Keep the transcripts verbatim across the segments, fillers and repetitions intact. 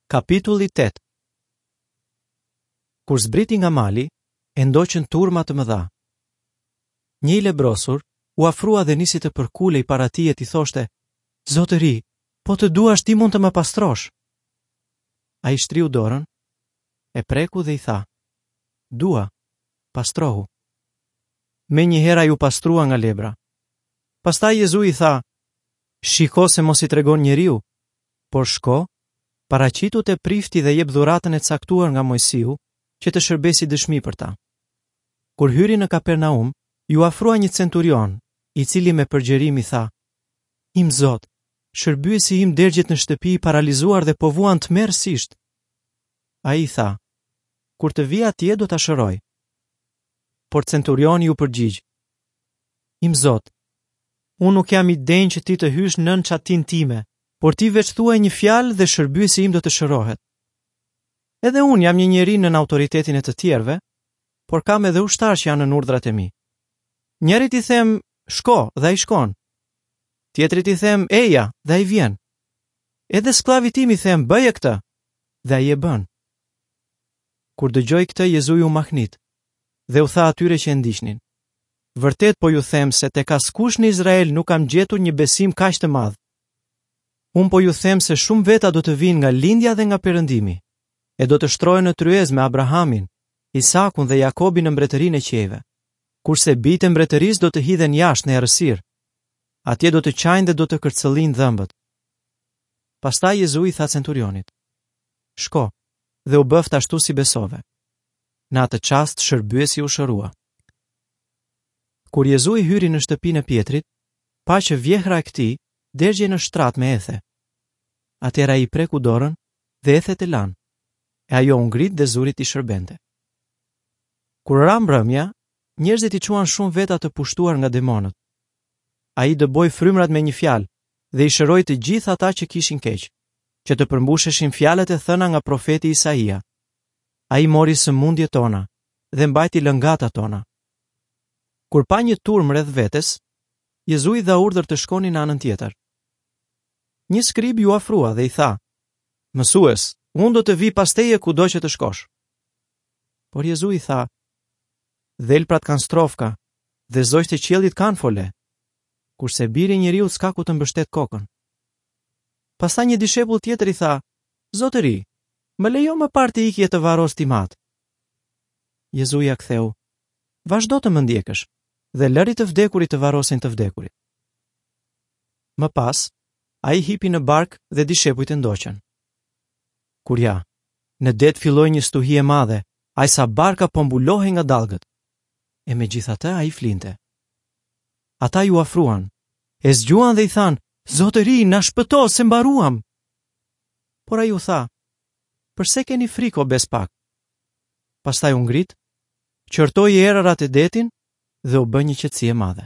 Kapitulli tetë. Kur zbriti nga mali, e ndoqën turma të mëdha. Një i lebrosur u afrua dhe nisi të përkulej para tij e t'i thoshte: "Zotëri, po të duash ti mund të më pastrosh." Ai shtriu dorën, e preku dhe i tha: "Dua, pastrohu." Menjëherë ai u pastrua nga lebra. Pastaj Jezui i tha: "Shiko se mos i tregon njeriu, por shko, paraqitu te prifti dhe jep dhuratën e caktuar nga Moisiu, që të shërbejë si dëshmi për ta." Kur hyri në Kapernaum, iu afrua një centurion, i cili me përgjërim i tha: "Im Zot, shërbyesi im dergjet në shtëpi i paralizuar dhe po vuan tmerrësisht." Ai i tha: "Kur të vi atje do ta shëroj." Por centurioni iu përgjigj: "Im Zot, unë nuk jam i denjë që ti të hysh nën çatinë time, por ti veç thuaj një fjalë dhe shërbyesi im do të shërohet. Edhe unë jam një njeri nën autoritetin e të tjerëve, por kam edhe ushtarë që janë nën urdhrat e mi. Njërit i them, shko, dhe ai shkon. Tjetrit i them, eja, dhe ai vjen. Edhe skllavit tim i them, bëje këtë, dhe ai e bën." Kur dëgjoi këtë, Jezui u mahnit dhe u tha atyre që e ndiqnin: "Vërtet po ju them se tek askush në Izrael nuk kam gjetur një besim kaq të madh. Unë po ju them se shumë veta do të vinë nga lindja dhe nga perëndimi, e do të shtrohen në tryezë me Abrahamin, Isakun dhe Jakobin në mbretërinë e qiejve, kurse bijtë e mbretërisë do të hidhen jashtë në errësirë. Atje do të qajnë dhe do të kërcëllin dhëmbët." Pastaj Jezui i tha centurionit: "Shko, dhe u bëft ashtu si besove." Në atë çast shërbyesi u shërua. Kur Jezui hyri në shtëpinë e Pietrit, pa që vjehra e këtij dergjej në shtrat me ethe. Atëherë ai i preku dorën dhe ethet e lanë, e ajo u ngrit dhe zuri t'i shërbente. Kur ra mbrëmja, njerëzit i çuan shumë veta të pushtuar nga demonët. Ai dëboi frymrat me një fjalë dhe i shëroi të gjithë ata që kishin keq, që të përmbusheshin fjalët e thëna nga profeti Isaia. Ai mori sëmundjet tona dhe mbajti lëngatat tona. Kur pa një turmë rreth vetes, Jezui dha urdhër të shkonin në anën tjetër. Një skrib iu afrua dhe i tha: "Mësues, unë do të vi pas teje kudo që të shkosh." Por Jezui i tha: "Dhelprat kanë strofka dhe zogjtë e qiellit kanë fole, kurse biri i njeriut s'ka ku të mbështet kokën." Pastaj një dishepull tjetër i tha: "Zotëri, më lejo më parë të iki e të varros tim atë." Jezui ia ktheu: "Vazhdo të më ndjekësh dhe lëri të vdekurit të varrosin të vdekurit." Më pas, ai hipi në bark dhe dishepujt e ndoqën. Kur ja, në det filloi një stuhi e madhe, aq sa barka po mbulohej nga dallgët. E megjithatë ai flinte. Ata iu afruan, e zgjuan dhe i thanë: "Zotëri, na shpëto se mbaruam." Por ai u tha: "Përse keni frikë, o bespak?" Pastaj u ngrit, qortoi erërat e detin dhe u bë një qetësi e madhe.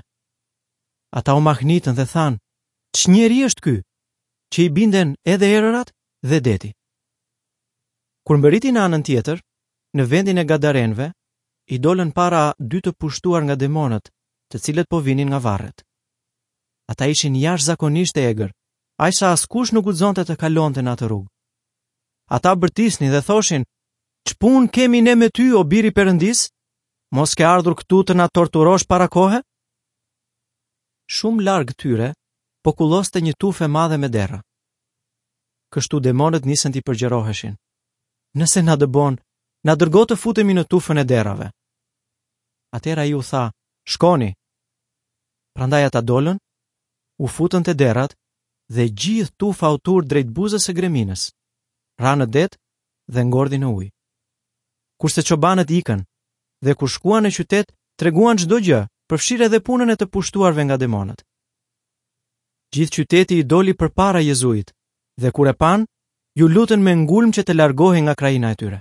Ata u mahnitën dhe thanë: "Ç'njeri është ky, që i binden edhe erërat dhe deti?" Kur mbërriti në anën tjetër, në vendin e Gadarenëve, i dolën para dy të pushtuar nga demonët, të cilët po vinin nga varret. Ata ishin jashtëzakonisht të egër, aq sa askush nuk guxonte të kalonte në atë rrugë. Ata bërtisnin dhe thoshin: "Ç'punë kemi ne me ty, o biri Perëndis? Mos ke ardhur këtu të na torturosh para kohe?" Shumë larg tyre po kulloste një tufë e madhe me derra. Kështu demonët nisën t'i përgjëroheshin: "Nëse na dëbon, na dërgo të futemi në tufën e derrave." Atëherë ai u tha: "Shkoni." Prandaj ata dolën, u futën te derrat dhe gjithë tufa u tur drejt buzës së greminës, ra në det dhe ngordhi në ujë. Kurse çobanët ikën dhe kur shkuan në qytet, treguan çdo gjë, përfshirë edhe punën e të pushtuarve nga demonët. Gjithë qyteti i doli përpara Jezuit dhe kur e pan, ju lutën me ngulm që të largohej nga krahina e tyre.